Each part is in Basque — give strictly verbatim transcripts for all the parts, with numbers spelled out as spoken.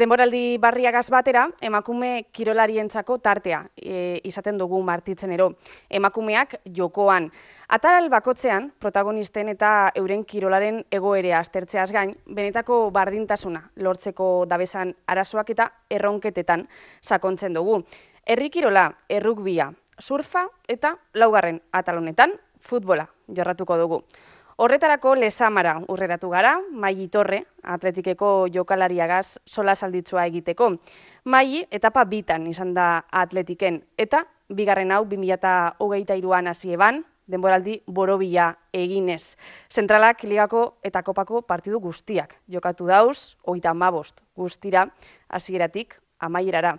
Denboraldi barriagaz batera, emakume kirolarientzako tartea e, izaten dugu martitzenero. Emakumeak jokoan. Ataral bakotzean, protagonisten eta euren kirolaren egoerea aztertzeaz gain, benetako bardintasuna lortzeko dabesan arazoak eta erronketetan sakontzen dugu. Herri kirola, errugbia, surfa eta laugarren atalonetan futbola jorratuko dugu. Horretarako Lezamara urreratu gara, Maili Torre, atletikeko jokalariagaz sola salditzua egiteko. Maili etapa bitan izan da atletiken, eta bigarren hau bi mila hogeita hiruan hasi eban, denboraldi borobila eginez. Zentralak ligako eta kopako partidu guztiak jokatu dauz, hogeita hamabost guztira, hasieratik amaierara.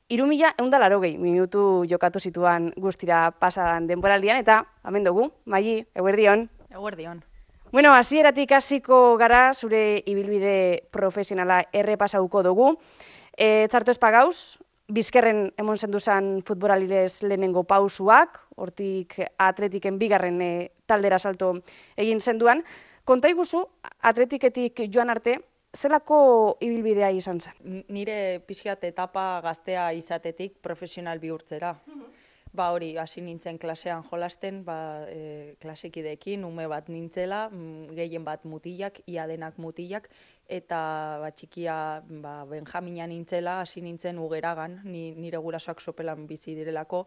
Hiru mila ehun eta laurogei minutu jokatu zituan guztira pasadan denboraldian, eta hemen dugu, Maili, eguerdion. Eguerdion. Bueno, hasieratik hasiko gara zure ibilbide profesionala errepasauko dugu. E, txarto espagauz, bizkerren emon zenduzan futbolalilez lehenengo pausuak, hortik atletiken bigarren e, taldera salto egin zenduan. Konta iguzu, atletiketik joan arte, zelako ibilbidea izan zen? Nire pixkat etapa gaztea izatetik profesional bihurtzera. Ba hori, hasi nintzen klasean jolasten, ba, e, klasekideekin, ume bat nintzela, gehien bat mutilak, ia denak mutilak, eta ba, txikia ba, Benjamina nintzela, hasi nintzen Ugeragan, ni, nire gurasoak sopelan bizi direlako,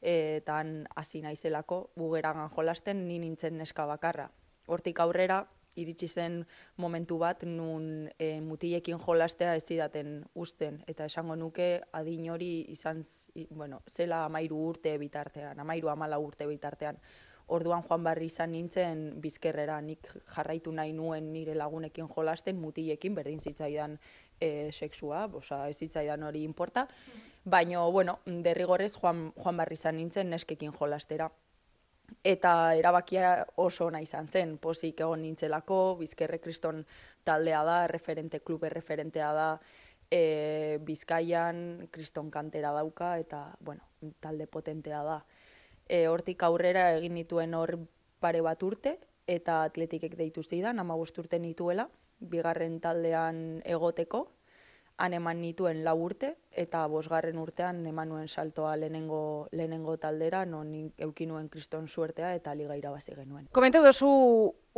e, eta han hasi naizelako Ugeragan jolasten, ni nintzen neska bakarra. Hortik aurrera, iritsi zen momentu bat, nun e, mutilekin jolastea ez zidaten usten, eta esango nuke adin hori izan, bueno, zela amairu urte bitartean, amairu amala urte bitartean. Orduan joan barri izan nintzen bizkerrera, nik jarraitu nahi nuen nire lagunekin jolasten, mutilekin berdin zitzaidan e, sexua, oza, ez zitzaidan hori inporta, baina, bueno, derrigorrez joan, joan barri izan nintzen neskekin jolastera. Eta erabakia oso ona izan zen, pozik egon nintzelako, Bizkerre Kriston taldea da, referente, klube referentea da, e, Bizkaian Kriston kantera dauka, eta, bueno, talde potentea da. E, hortik aurrera egin nituen hor pare bat urte, eta atletikek deitu zidan, hamabost urte nituela, bigarren taldean egoteko, han eman nituen lau urte, eta bosgarren urtean eman nuen saltoa lehenengo, lehenengo taldera, non euki nuen kriston suertea eta liga irabazi genuen. Komenteu duzu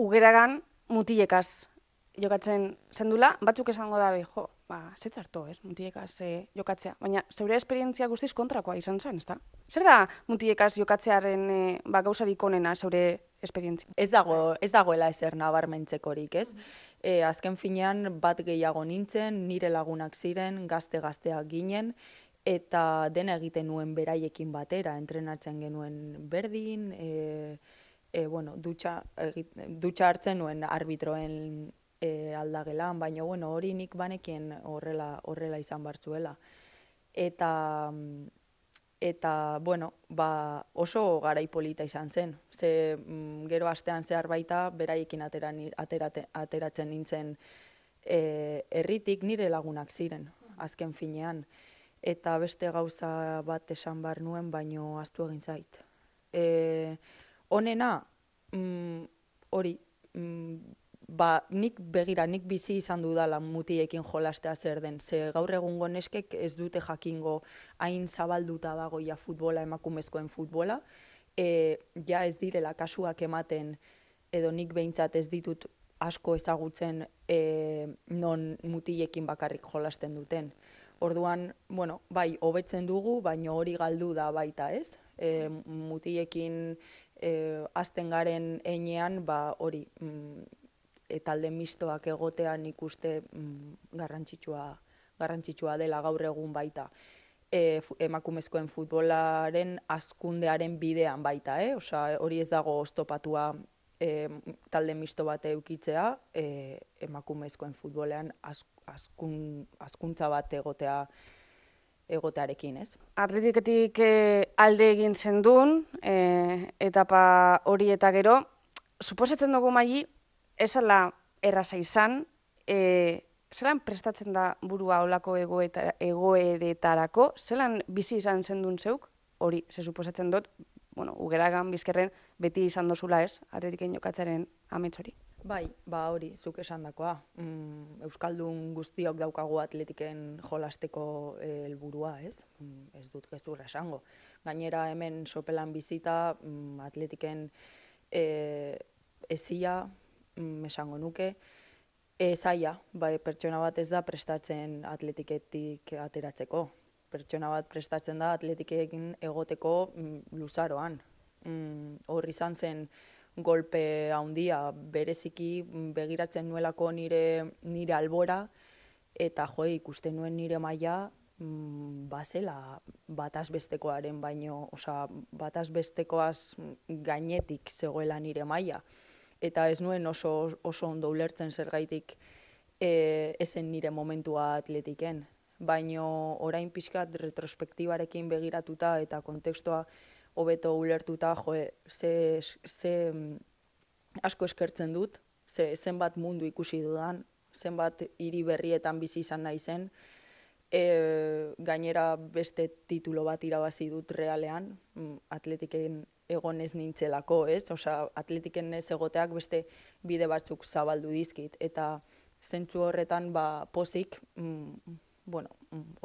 Ugeragan mutilekaz jokatzen zendula, batzuk esango dabe, jo, ba, zetzarto, ez, mutilekaz e, jokatzea, baina zeure esperientzia guztiz kontrakoa izan zen, ezta? Zer da mutilekaz jokatzearen e, ba, gauzarik onena zeure esperientzia? Ez dago, ez dagoela ezer nabarmentzekorik, ez? E, azken finean bat gehiago nintzen, nire lagunak ziren, gazte-gazteak ginen, eta dena egiten nuen beraiekin batera, entrenatzen genuen berdin, e, e, bueno, dutxa, egit, dutxa hartzen nuen arbitroen e, aldagelan, baina bueno, hori nik banekien horrela, horrela izan bartzuela. Eta... Eta, bueno, ba, oso garai polita izan zen. Ze, mm, gero astean zehar baita, beraiekin ateran, aterate, ateratzen nintzen e, herritik nire lagunak ziren, azken finean. Eta beste gauza bat esan bar nuen, baino ahaztu egin zait. E, honena, mm, hori, mm, ba, nik begira, nik bizi izan dudala mutiekin jolastea zer den. Ze gaur egungo neskek ez dute jakingo hain zabalduta dago ja futbola, emakumezkoen futbola. E, ja ez direla kasuak ematen, edo nik behintzat ez ditut asko ezagutzen e, non mutilekin bakarrik jolasten duten. Orduan, bueno, bai, hobetzen dugu, baina hori galdu da baita, ez? E, mutilekin e, hasten garen heinean, ba hori, mm, talde mistoak egotean ikuste mm, garrantzitsua, garrantzitsua dela gaur egun baita. E, emakumezkoen futbolaren hazkundearen bidean baita, eh? Osea, hori ez dago oztopatua e, talde misto bat eukitzea, e, emakumezkoen futbolean hazkun, hazkuntza bat egotea egotearekin, ez? Atletiketik e, alde egin zendun, e, etapa hori eta gero, suposatzen dugu Maili, esala erraza izan, e, zelan prestatzen da burua olako egoeretarako, zelan bizi izan zendun zeuk, hori, ze suposatzen dut, bueno, Ugeragan, Bizkerren, beti izan dozula ez, atletiken jokatzaren amets hori. Bai, ba hori, zuk esandakoa. Mm, Euskaldun guztiok daukagu atletiken jolasteko eh, helburua, ez? Mm, ez dut gezurra esango. Gainera hemen sopelan bizita mm, atletiken eh, ezia, mm, esango nuke, e, zaila, bai, pertsona bat ez da prestatzen atletiketik ateratzeko. Pertsona bat prestatzen da atletikekin egoteko mm, luzaroan. Mm, hor izan zen golpe handia, bereziki begiratzen nuelako nire, nire albora, eta jo, ikusten nuen nire maila mm, bazela bataz bestekoaren baino, osea, bataz bestekoaz gainetik zegoela nire maila. Eta ez nuen oso, oso ondo ulertzen zergaitik e, ezen nire momentua atletiken. Baino orain pixkat retrospektibarekin begiratuta eta kontekstua hobeto ulertuta, jo, ze, ze asko eskertzen dut, ze, zenbat mundu ikusi dudan, zenbat hiri berrietan bizi izan naizen, e, gainera beste titulo bat irabazi dut realean, atletiken egon ez nintzelako, ez? Osea, atletiken ez egoteak beste bide batzuk zabaldu dizkit, eta zentzu horretan ba, pozik, mm, bueno,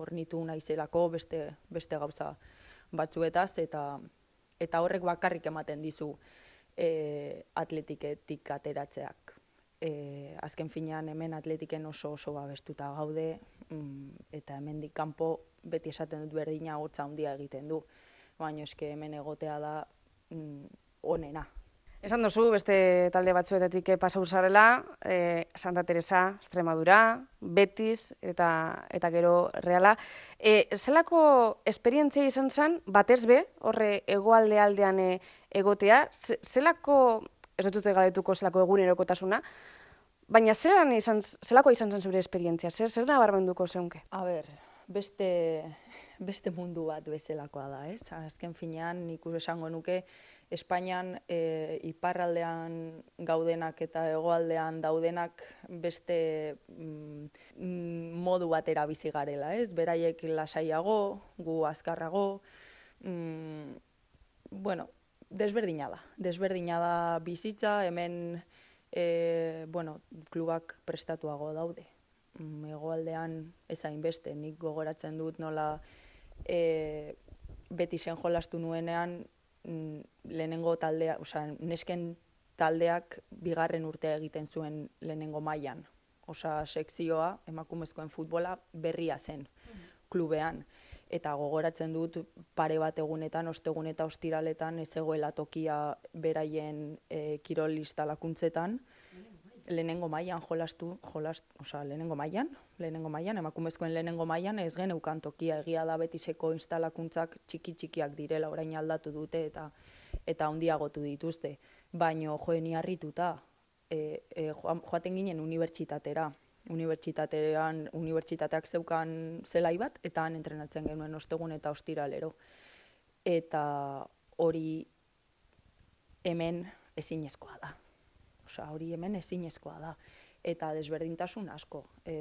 hornitu naizelako beste, beste gauza batzuetaz, eta, eta horrek bakarrik ematen dizu e, atletiketik ateratzeak. E, azken finean hemen atletiken oso oso babestuta gaude, mm, eta hemendik kanpo beti esaten dut berdina hotza handia egiten du, baina eske hemen egotea da mm, onena. Esan duzu, beste talde batzuetatik pasau zarela, e, Santa Teresa, Extremadura, Betis eta, eta gero Reala. E, zelako esperientzia izan zen, batez be, horre hegoalde aldean e, egotea, zelako, ez dut galdetuko zelako egunerokotasuna, baina zelan izan, zelako izan zen zure esperientzia, zer, zer nabarmenduko zeunke? A ber, beste, beste mundu bat bezalakoa da, ez? Azken finean, nik esango nuke, Espainian e, iparraldean gaudenak eta hegoaldean daudenak beste mm, modu batera bizi garela, ez? Beraiek lasaiago, gu azkarrago, mm, bueno, desberdina da. Desberdina da bizitza, hemen e, bueno, klubak prestatuago daude. Mm, hegoaldean ez hainbeste, nik gogoratzen dut nola e, Betisen jolastu nuenean, lehenengo taldea, osea, nesken taldeak bigarren urtea egiten zuen lehenengo mailan. Osea, sekzioa, emakumezkoen futbola berria zen klubean. Eta gogoratzen dut pare bat egunetan, ostegun eta ostiraletan ez zegoela tokia beraien e, kirol instalakuntzetan. Lehenengo mailan jolastu, jolastu, osea, lehenengo mailan, lehenengo mailan, emakumezkoen lehenengo mailan ez geneukan tokia, egia da Betiseko instalakuntzak txiki-txikiak direla, orain aldatu dute eta eta handiagotu dituzte. Baino joeni harrituta, e, e, joaten ginen unibertsitatera. Unibertsitatean, unibertsitateak zeukan zelai bat, eta han entrenatzen genuen ostegun eta ostiralero. Eta hori hemen ezinezkoa da. Osea, hori hemen ezinezkoa da. Eta desberdintasun asko. E,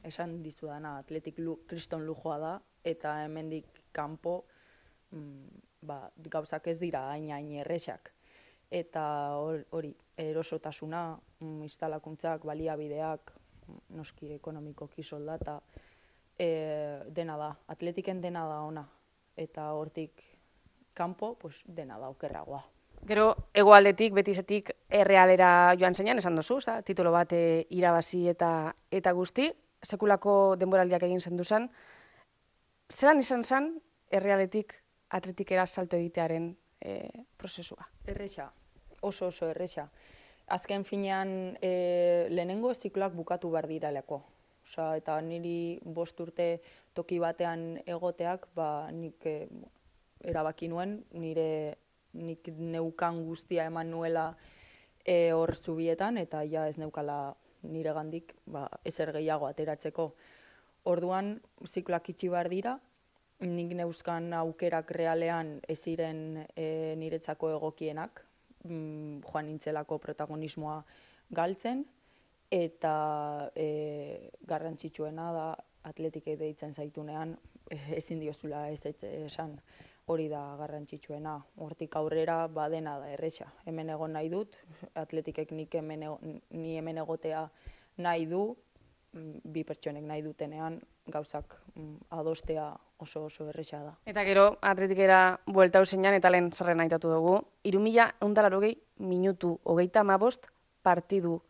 esan dizudana, atletik lu, kriston lujoa da, eta hemendik kanpo mm, ba, gauzak ez dira hain hain erresak. Eta hori, erosotasuna, mm, instalakuntzak, baliabideak, noski ekonomikoki soldata, e, dena da, atletiken dena da ona. Eta hortik kanpo, pues, dena da okerragoa. Gero, hegoaldetik, Betisetik, Errealera joan zeinan, esan duzu, za, titulo bat e, irabazi eta eta guzti, sekulako denboraldiak egin zen duzan. Zelan izan zen Errealetik atletikera salto egitearen e, prozesua? Erresa, oso oso erresa. Azken finean e, lehenengo zikloak bukatu behar diraleko. Osea, eta niri bost urte toki batean egoteak, ba, nik e, erabaki nuen, nire nik neukan guztia eman nuela e, hor zubietan, eta ja ez neukala nire gandik ba, ezer gehiago ateratzeko. Orduan, zikloak itxi behar dira, nik neuzkan aukerak realean ez ziren e, niretzako egokienak, mm, joan nintzelako protagonismoa galtzen, eta e, garrantzitsuena da atletikei deitzen zaitunean ezin diozula ez esan. hori da garrantzitsuena. Hortik aurrera badena da erresa. Hemen egon nahi dut, atletikek nik hemen ego- ni hemen egotea nahi du, mm, bi pertsonek nahi dutenean gauzak mm, adostea oso oso erresa da. Eta gero, atletikera bueltau zeinan, eta lehen zerren aitatu dugu, hiru mila ehun eta laurogei minutu hogeita hamabost partidu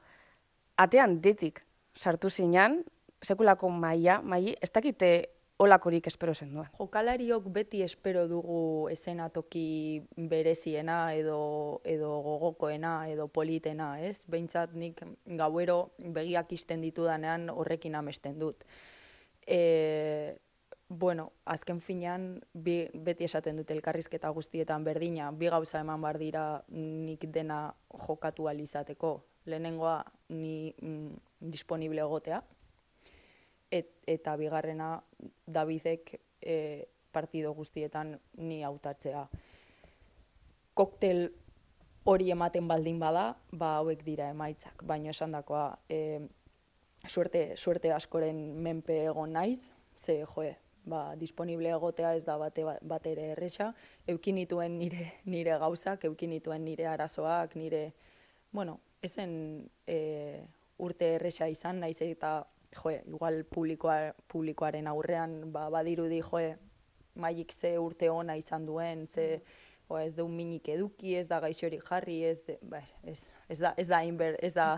atean detik sartu zinan, sekulako maila, maili, ez dakite olakorik espero zen duen. Jokalariok beti espero dugu eszenatoki bereziena edo, edo gogokoena edo politena, ez? Behintzat nik gauero begiak isten ditudanean horrekin amesten dut. E, bueno, azken finean bi, beti esaten dute elkarrizketa guztietan berdina, bi gauza eman bar dira nik dena jokatu ahal izateko. Lehenengoa ni mm, disponible egotea, Et, eta bigarrena Davidek e, partido guztietan ni hautatzea. Koktel hori ematen baldin bada, ba hauek dira emaitzak, baina esandakoa e, suerte, suerte askoren menpe egon naiz, ze joe, ba, disponible egotea ez da bate, bate ere erresa, eukin nituen nire, nire gauzak, eukin nituen nire arazoak, nire, bueno, ezen e, urte erresa izan, naiz eta joe, igual publikoa, publikoaren aurrean ba, badirudi joe, maik ze urte ona izan duen, ze o, ez da un minik eduki, ez da gaixorik jarri, ez, de, ba, ez, ez da ez da hain ez da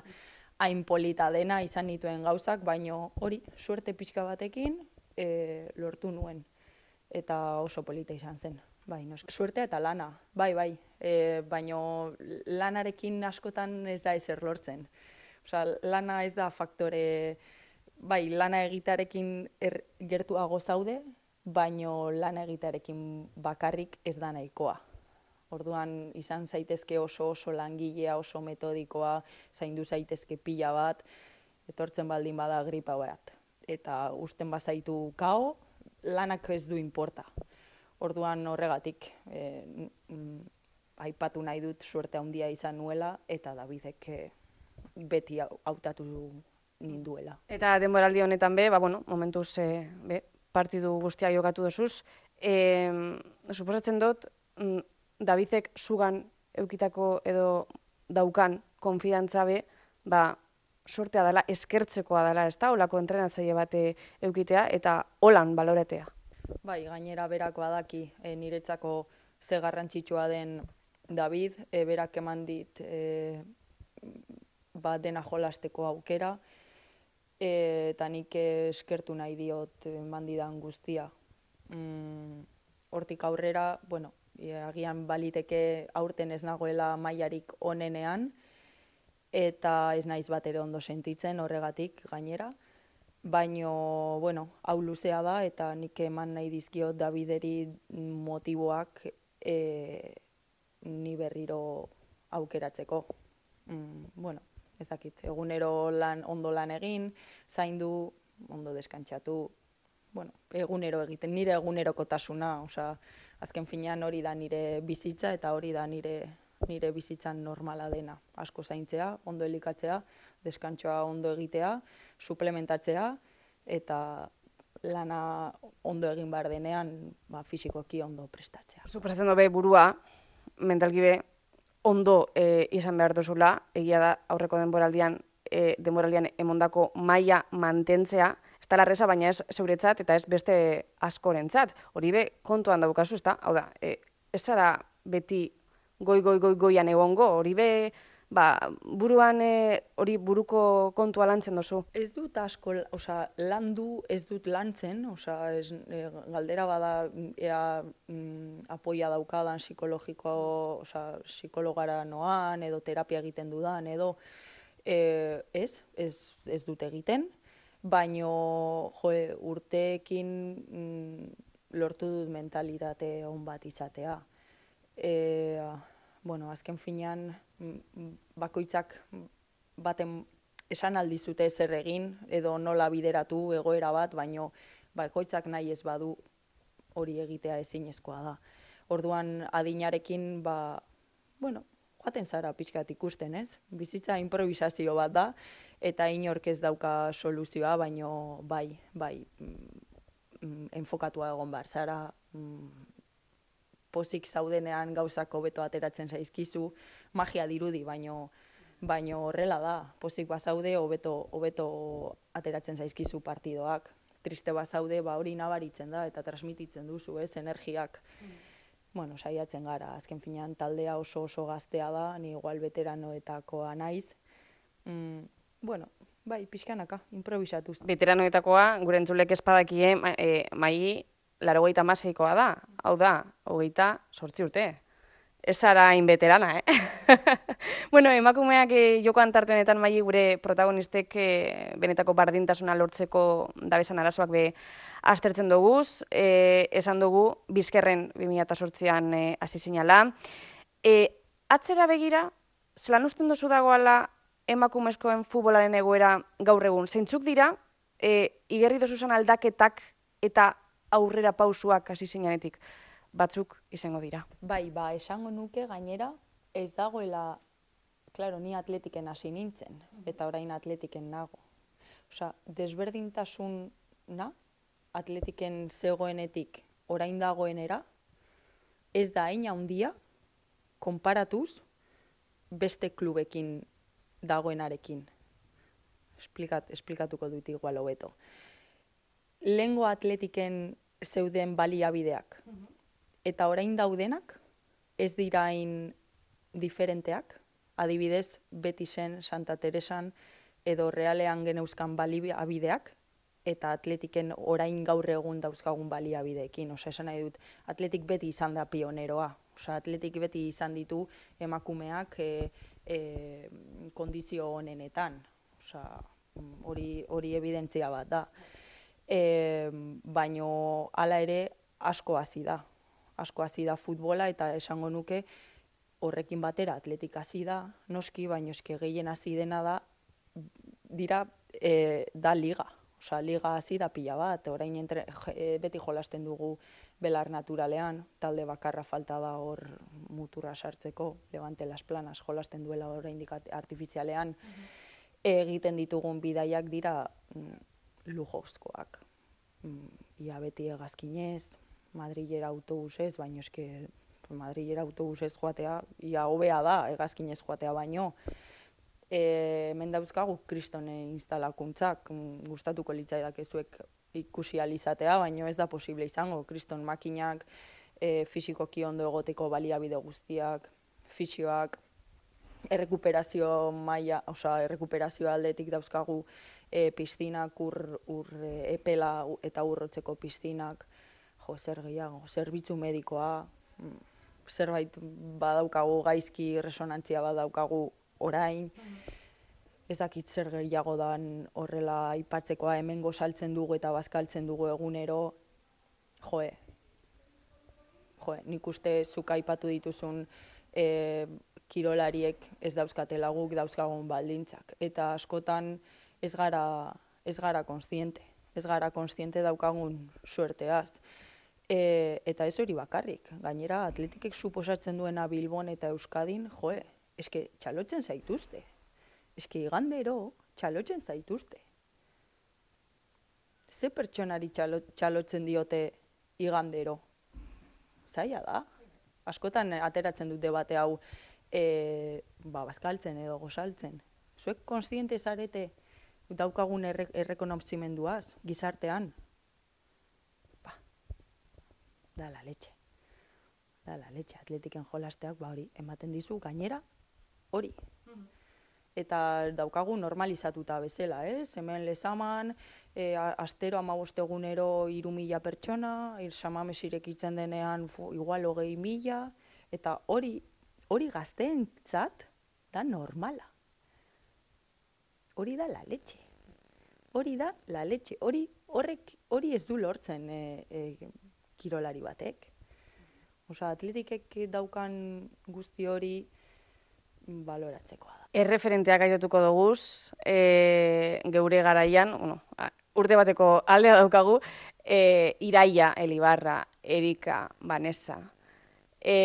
hain polita dena izan nituen gauzak, baino hori suerte pixka batekin e, lortu nuen eta oso polita izan zen. Bai, no, suertea eta lana, bai, bai, e, baino lanarekin askotan ez da ezer lortzen. Osea, lana ez da faktore, bai, lana egitarekin er, gertuago zaude, baino lana egitarekin bakarrik ez da nahikoa. Orduan izan zaitezke oso oso langilea, oso metodikoa, zaindu zaitezke pila bat, etortzen baldin bada gripa bat. Eta uzten bazaitu kao, lanak ez du inporta. Orduan horregatik eh, mm, aipatu nahi dut suerte handia izan nuela eta Davidek eh, beti hautatu ninduela. Eta denboraldi honetan be, ba, bueno, momentuz e, be, partidu guztia jokatu dozuz. E, suposatzen dut, mm, Davidek zugan eukitako edo daukan konfidantza be, ba, sortea dela, eskertzekoa dela, ez da, holako entrenatzaile bate eukitea eta holan baloretea. Bai, gainera berak badaki e, niretzako ze garrantzitsua den David, e, berak eman dit e, ba, dena jolasteko aukera, e, eta nik eskertu nahi diot eman didan guztia. Mm, hortik aurrera, bueno, e, agian baliteke aurten ez nagoela mailarik onenean, eta ez naiz bat ere ondo sentitzen horregatik gainera. Baino, bueno, hau luzea da eta nik eman nahi dizkiot Davideri motiboak e, ni berriro aukeratzeko. Mm, bueno, ez dakit, egunero lan, ondo lan egin, zaindu, ondo deskantsatu, bueno, egunero egiten, nire egunerokotasuna, osea, azken finean hori da nire bizitza eta hori da nire nire bizitzan normala dena. Asko zaintzea, ondo elikatzea, deskantsoa ondo egitea, suplementatzea, eta lana ondo egin behar denean, ba, fisikoki ondo prestatzea. Suposatzen dobe burua, mentalki be, ondo e, izan behar duzula, egia da aurreko denboraldian, e, denboraldian emondako maila mantentzea, ez da larreza, baina ez zeuretzat eta ez beste askorentzat. Hori be, kontuan daukazu, ez da? Hau da, e, ez zara beti goi, goi, goi, goian egongo, hori be, ba, buruan hori buruko kontua lantzen dozu? Ez dut asko, osea, landu ez dut lantzen, osea, ez, e, galdera bada ea mm, apoia daukadan psikologiko, osea, psikologara noan, edo terapia egiten dudan, edo e, ez, ez, ez dut egiten, baino joe, urteekin mm, lortu dut mentalitate on bat izatea. E, bueno, azken finean bakoitzak baten esan aldizute zer egin edo nola bideratu egoera bat, baino bakoitzak nahi ez badu hori egitea ezinezkoa da. Orduan adinarekin, ba, bueno, joaten zara pixkat ikusten, ez? Bizitza improvisazio bat da, eta inork ez dauka soluzioa, baino bai, bai, mm, enfokatua egon behar zara, mm, pozik zaudenean gauzak hobeto ateratzen zaizkizu, magia dirudi, baino baino horrela da, pozik bazaude hobeto hobeto ateratzen zaizkizu partidoak. Triste bazaude, ba hori nabaritzen da eta transmititzen duzu, ez, energiak. Mm. Bueno, saiatzen gara, azken finean taldea oso oso gaztea da, ni igual veteranoetakoa naiz. Mm, bueno, bai, pixkanaka, improvisatuz. Veteranoetakoa, gure entzulek espadakie, ma, e, mai laurogeita hamaseikoa da, hau da, hogeita zortzi urte. Ez zara inbeterana, eh? Bueno, emakumeak eh, jokoan tarte honetan mai gure protagonistek eh, benetako bardintasuna lortzeko dabesan arazoak be aztertzen doguz, eh, esan dugu bizkerren bi mila zortzian eh, hasi zinala. Eh, atzera begira, zelan usten dozu dagoala emakumezkoen futbolaren egoera gaur egun? Zeintzuk dira, eh, igerri dozuzan aldaketak eta aurrera pausuak hasi zinanetik batzuk izango dira? Bai, ba, esango nuke gainera ez dagoela, claro, ni atletiken hasi nintzen, eta orain atletiken nago. Osea, desberdintasuna atletiken zegoenetik orain dagoenera, ez da hain handia konparatuz beste klubekin dagoenarekin. Esplikat, esplikatuko dut igual hobeto. Lehengo atletiken zeuden baliabideak, eta orain daudenak ez dira hain diferenteak, adibidez Betisen, Santa Teresan edo Realean geneuzkan baliabideak, eta atletiken orain gaur egun dauzkagun baliabideekin. Osea, esan nahi dut, atletik beti izan da pioneroa. Osea, atletik beti izan ditu emakumeak e, e, kondizio honenetan. Osea, hori, hori evidentzia bat da. E, baino hala ere asko hasi da. Asko hasi da futbola eta esango nuke horrekin batera atletik hasi da, noski, baino eske gehien hasi dena da dira e, da liga. Osea, liga hasi da pila bat, orain entre, e, beti jolasten dugu belar naturalean, talde bakarra falta da hor muturra sartzeko, Levante Las Planas jolasten duela oraindik artifizialean, mm-hmm. egiten ditugun bidaiak dira mm, lujozkoak. Mm, ia beti hegazkinez, Madrilera autobusez, baino eske Madrilera autobusez joatea, ia hobea da, hegazkinez joatea baino. E, hemen dauzkagu kristone instalakuntzak, gustatuko litzaidak ezuek ikusi alizatea, baino ez da posible izango. Kriston makinak, e, fisikoki ondo egoteko baliabide guztiak, fisioak, errekuperazio maila, osea, errekuperazio aldetik dauzkagu e, piztinak, ur, ur e, epela eta urrotzeko piztinak, jo, zer gehiago, zerbitzu medikoa, zerbait badaukagu gaizki, resonantzia badaukagu orain, ez dakit zer gehiago dan horrela aipatzekoa, hemengo saltzen dugu eta bazkaltzen dugu egunero, joe, joe, nik uste zuk aipatu dituzun e, kirolariek ez dauzkatela guk dauzkagun baldintzak, eta askotan ez gara, ez gara konstiente, ez gara konstiente daukagun suerteaz. E, eta ez hori bakarrik, gainera atletikek suposatzen duena Bilbon eta Euskadin, joe, eske txalotzen zaituzte. Eske igandero txalotzen zaituzte. Ze pertsonari txalo, txalotzen diote igandero? Zaila da. Askotan ateratzen dut debate hau e, ba, bazkaltzen edo gozaltzen. Zuek konstiente zarete daukagun erre, errekonozimenduaz, gizartean? Da la leche. Da la leche. Atletiken jolasteak ba hori ematen dizu gainera hori. Mm-hmm. Eta daukagu normalizatuta bezala, ez? Hemen Lezaman, e, astero hamabost egunero hiru mila pertsona, Samames irekitzen denean fu, igual hogei mila, eta hori hori gazteentzat da normala. Hori da la leche. Hori da la leche. Hori horrek hori ez du lortzen e, e, kirolari batek. Osea, atletikek daukan guzti hori baloratzekoa da. Erreferenteak aitatuko doguz, e, geure garaian, bueno, urte bateko aldea daukagu, e, Iraia, Elibarra, Erika, Vanessa. E,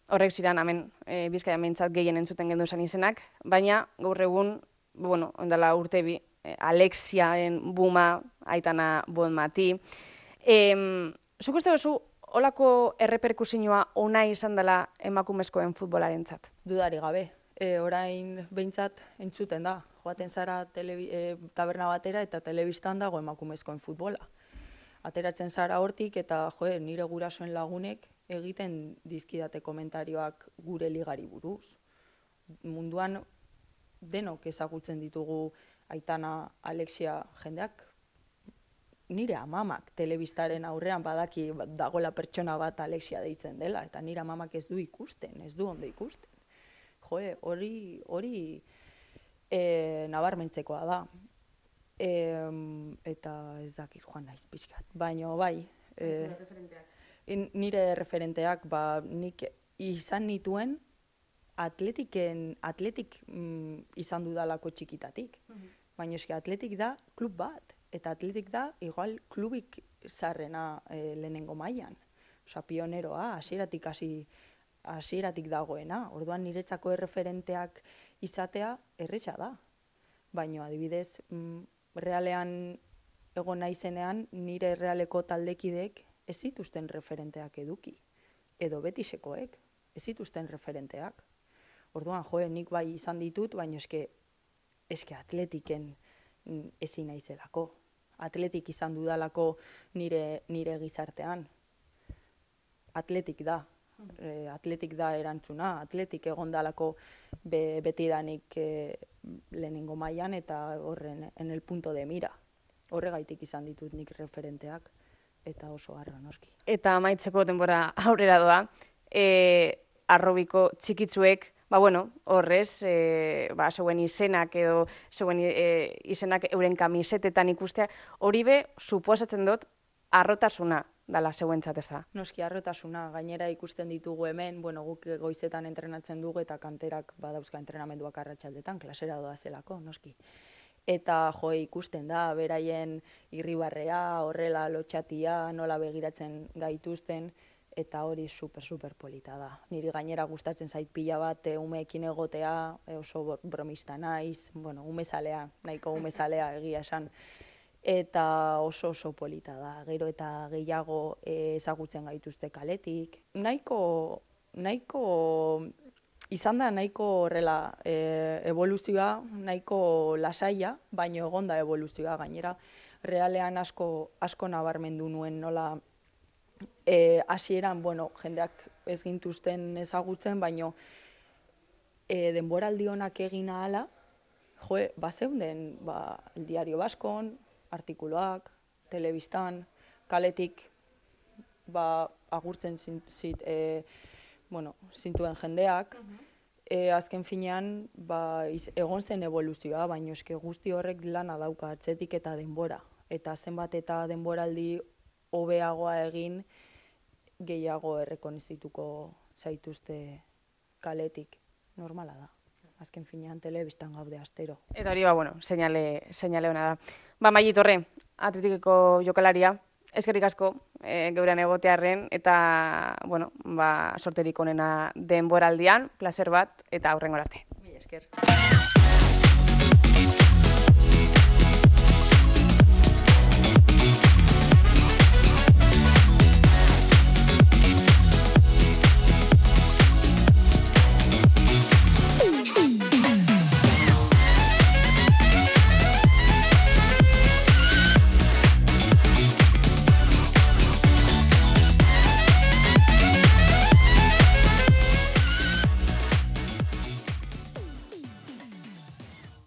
horrek ziren, hemen, e, Bizkaian behintzat gehien entzuten gendu esan izenak, baina gaur egun, bueno, ondala urte bi, e, Alexiaen Buma, Aitana Bonmati. E, Zuk uste duzu holako erreperkusioa ona izan dela emakumezkoen futbolarentzat? Dudari gabe. E, orain behintzat entzuten da. Joaten zara telebi, e, taberna batera eta telebistan dago emakumezkoen futbola. Ateratzen zara hortik eta jo, nire gurasoen lagunek egiten dizkidate komentarioak gure ligari buruz. Munduan denok ezagutzen ditugu Aitana, Alexia jendeak. Nire amamak telebistaren aurrean badaki dagola pertsona bat Alexia deitzen dela, eta nire amamak ez du ikusten, ez du ondo ikusten. Jo, hori hori e, nabarmentzekoa da. E, eta ez dakit joan naiz pixkat. Baina bai, e, nire referenteak ba, nik izan nituen atletiken, atletik mm, izan dudalako txikitatik. Uh-huh. Baina eski atletik da klub bat. Eta atletik da, igual, klubik zarrena e, lehenengo mailan. Osa, pioneroa, hasieratik hasi hasieratik dagoena. Orduan niretzako erreferenteak izatea erresa da. Baina, adibidez, mm, realean egon naizenean, nire realeko taldekideek ez zituzten referenteak eduki. Edo betisekoek, ez zituzten referenteak. Orduan, joe, nik bai izan ditut, baina eske, eske atletiken ezin naizelako. Atletik izan dudalako nire, nire gizartean. Atletik da. E, atletik da erantzuna. Atletik egondalako be, betidanik e, lehenengo mailan eta horren en el punto de mira. Horregaitik izan ditut nik referenteak eta oso harro noski. Eta amaitzeko denbora aurrera doa. E, arrobiko txikitzuek ba, bueno, horrez, e, ba, zeuen izenak edo zeuen e, izenak euren kamisetetan ikustea, hori be, suposatzen dut, arrotasuna dala zeuentzat ez da. Noski, arrotasuna, gainera ikusten ditugu hemen, bueno, guk goizetan entrenatzen dugu eta kanterak badauzka entrenamenduak arratsaldetan, klasera doa zelako, noski. Eta jo, ikusten da, beraien irribarrea, horrela lotxatia, nola begiratzen gaituzten, eta hori super, super polita da. Niri gainera gustatzen zait pila bat umeekin egotea, oso bromista naiz, bueno, umezalea, nahiko umezalea egia esan. Eta oso oso polita da, gero eta gehiago ezagutzen gaituzte kaletik. Nahiko, nahiko, izan da nahiko horrela e, evoluzioa, nahiko lasaia, baino egonda evoluzioa gainera. Realean asko, asko nabarmendu nuen nola, E, hasieran, bueno, jendeak ez gintuzten ezagutzen, baino e, denboraldi honak egin ahala, jo, bazeunden, ba, El Diario Baskon, artikuloak, telebistan, kaletik, ba, agurtzen zint, e, bueno, zintuen jendeak, uh-huh. e, azken finean, ba, iz, egon zen evoluzioa, baino eske guzti horrek lana dauka atzetik eta denbora. Eta zenbat eta denboraldi hobeagoa egin, gehiago errekonizituko zaituzte kaletik. Normala da. Azken finean telebistan gaude astero. Eta hori, ba, bueno, seinale, seinale hona da. Ba, Maili Torre, atletikeko jokalaria, eskerrik asko e, geurean egotearren, eta, bueno, ba, sorterik onena denboraldian, placer bat, eta aurrengora arte. Mila esker.